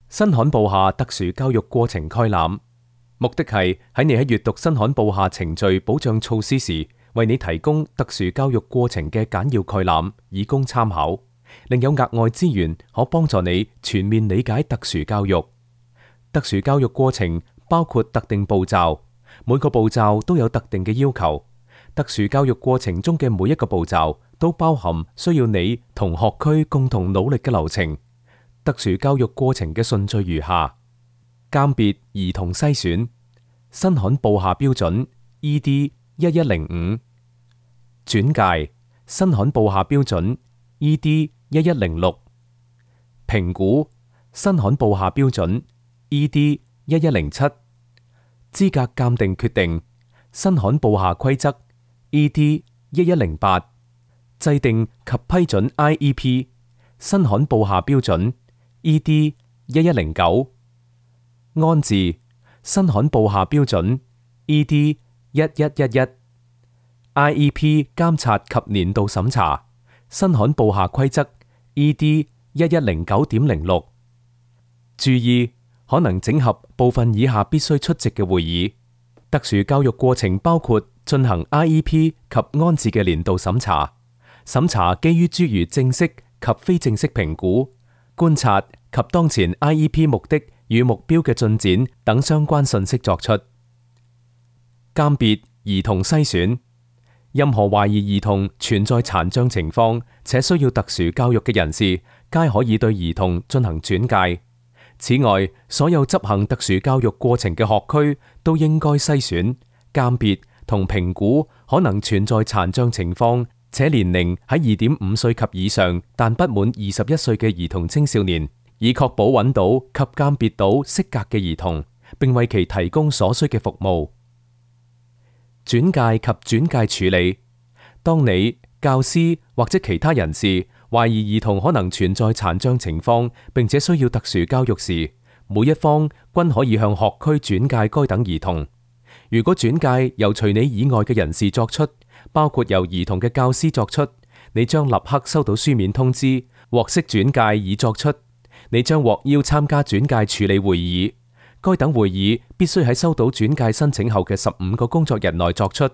新刊部下特殊教育過程概覽，目的係喺你喺閱讀新刊部下程序保障措施時，為你提供特殊教育過程嘅簡要概覽，以供參考。另有額外資源可幫助你全面理解特殊教育。特殊教育過程包括特定步驟，每個步驟都有特定嘅要求。特殊教育過程中嘅每一個步驟都包含需要你同學區共同努力嘅流程。特殊教育過程嘅順序如下：鑑別兒童篩選，新刊部下標準 ED1105；轉介，新刊部下標準 ED1106；評估，新刊部下標準 ED1107；資格鑑定決定，新刊部下規則 ED1108；制定及批准 IEP， 新刊部下標準 ED1109；安置，新刊部下標準 ED1111；IEP 監察及年度審查，新刊部下規則 ED1109.06。注意，可能整合部分以下必須出席嘅會議。特殊教育過程包括進行 IEP 及安置嘅年度審查，審查基於諸如正式及非正式評估、觀察及當前 IEP 目的與目標嘅進展等相關信息作出。鑑別兒童篩選，任何懷疑兒童存在殘障情況且需要特殊教育嘅人士，皆可以對兒童進行轉介。此外，所有執行特殊教育過程嘅學區都應該篩選、鑑別同評估可能存在殘障情況且年齡喺2.5歲及以上但不滿21歲嘅兒童青少年，以確保揾到及鑑別到適格嘅兒童，並為其提供所需嘅服務。轉介及轉介處理，當你、教師或者其他人士懷疑兒童可能存在殘障情況並且需要特殊教育時，每一方均可以向學區轉介該等兒童。如果轉介由除你以外嘅人士作出，包括由兒童嘅教師作出，你將立刻收到書面通知，獲悉轉介已作出。你將獲邀參加轉介處理會議，該等會議必須喺收到轉介申請後嘅15個工作日內作出。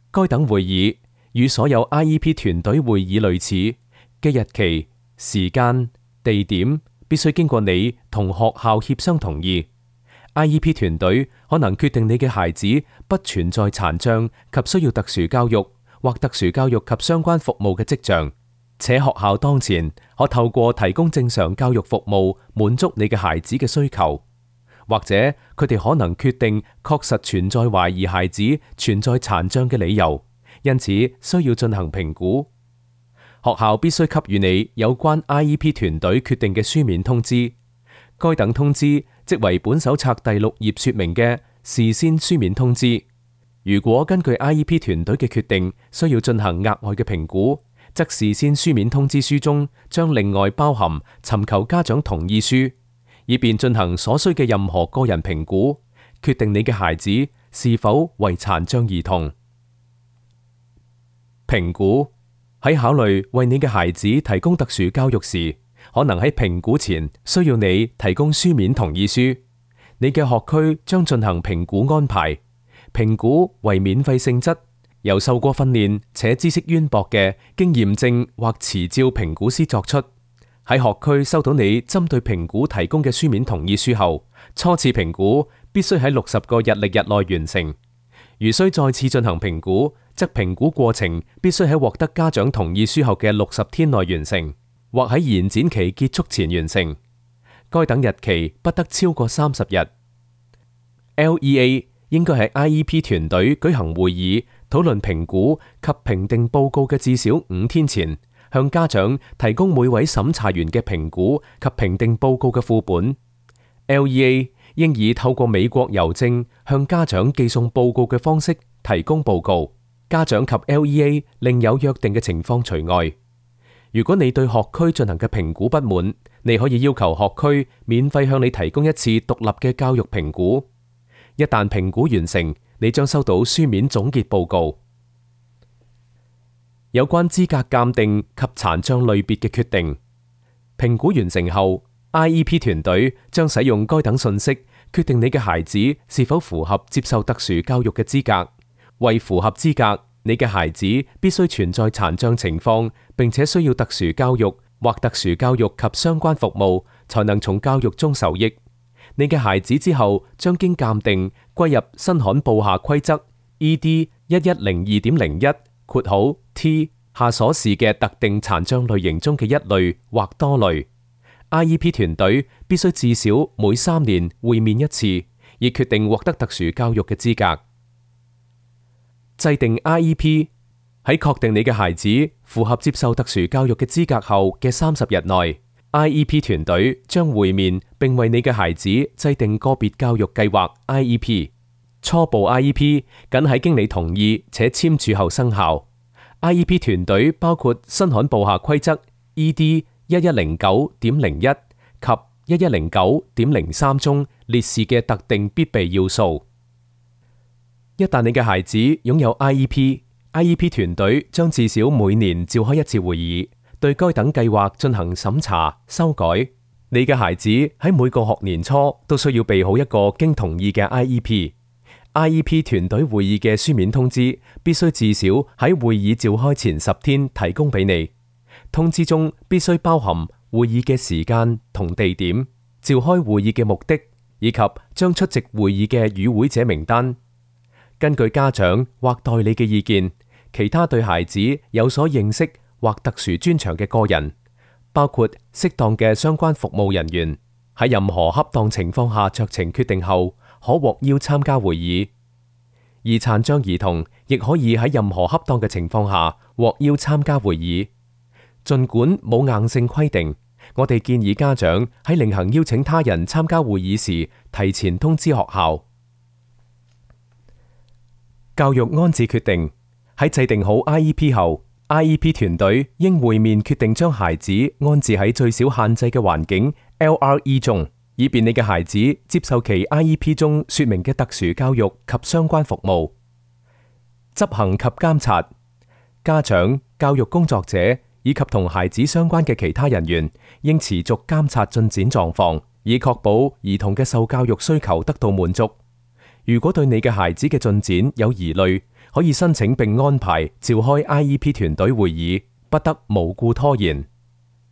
該等會議與所有 IEP 團隊會議類似，嘅日期、時間、地點必須經過你同學校協商同意。IEP 團隊可能決定你嘅孩子不存在殘障及需要特殊教育或特殊教育及相關服務嘅跡象，且學校當前可透過提供正常教育服務滿足你嘅孩子嘅需求，或者佢哋可能決定確實存在懷疑孩子存在殘障嘅理由，因此需要進行評估。學校必須給予你有關 IEP 團隊決定嘅書面通知，該等通知即為本手冊第6頁說明嘅事先書面通知。如果根據 IEP 團隊嘅決定需要進行額外嘅評估，則事先書面通知書中將另外包含尋求家長同意書，以便進行所需嘅任何個人評估，決定你嘅孩子是否為殘障兒童。評估，喺考慮為你嘅孩子提供特殊教育時，可能喺評估前需要你提供書面同意書。你嘅學區將進行評估安排，評估為免費性質，由受過訓練且知識淵博嘅經驗證或持照評估師作出。喺學區收到你針對評估提供嘅書面同意書後，初次評估必須喺60個日曆日內完成。如需再次進行評估，則評估過程必須喺獲得家長同意書後嘅60天內完成，或喺延展期結束前完成。該等日期不得超過30日。LEA 應該喺 IEP 團隊舉行會議討論評估及評定報告嘅至少5天前，向家長提供每位審查員嘅評估及評定報告嘅副本。LEA 應以透過美國郵政向家長寄送報告嘅方式提供報告。家長及 LEA 另有約定嘅情況除外。如果你對學區進行嘅評估不滿，你可以要求學區免費向你提供一次獨立嘅教育評估。一旦評估完成，你將收到書面總結報告。有關資格鑑定及殘障類別嘅決定，評估完成後， IEP 團隊將使用該等信息，決定你嘅孩子是否符合接受特殊教育嘅資格。為符合資格，你嘅孩子必須存在殘障情況，並且需要特殊教育或特殊教育及相關服務，才能從教育中受益。你嘅孩子之後將經鑑定歸入新罕布夏規則 ED 1102.01 (T) 下所示嘅特定殘障類型中嘅一類或多類。IEP 團隊必須至少每3年會面一次，以決定獲得特殊教育嘅資格。制定 IEP 喺確定你嘅孩子符合接受特殊教育嘅資格後嘅30日內，IEP 團隊將會面並為你嘅孩子制定個別教育計劃 IEP。初步 IEP 僅喺經你同意且簽署後生效。IEP 團隊包括新罕布夏規則 ED 1109.01 及1109.03中列示嘅特定必備要素。一旦你嘅孩子擁有 IEP 團隊將至少每年召開一次會議，對該等計劃進行審查、修改。你嘅孩子喺每個學年初都需要備好一個經同意嘅 IEP 團隊會議嘅書面通知，必須至少喺會議召開前10天提供俾你。通知中必須包含會議嘅時間同地點、召開會議嘅目的，以及將出席會議嘅與會者名單。根據家長或代理嘅意見，其他對孩子有所認識或特殊專長嘅個人，包括適當嘅相關服務人員，喺任何恰當情況下酌情決定後，可獲邀參加會議。而殘障兒童亦可以喺任何恰當嘅情況下獲邀參加會議。儘管冇硬性規定，我哋建議家長喺另行邀請他人參加會議時，提前通知學校。教育安置決定喺制定好 IEP 後，IEP 團隊應會面決定將孩子安置喺最少限制嘅環境 LRE 中，以便你嘅孩子接受其 IEP 中說明嘅特殊教育及相關服務。執行及監察家長、教育工作者以及同孩子相關嘅其他人員，應持續監察進展狀況，以確保兒童嘅受教育需求得到滿足。如果對你嘅孩子嘅進展有疑慮，可以申請並安排召開 IEP 團隊會議，不得無故拖延。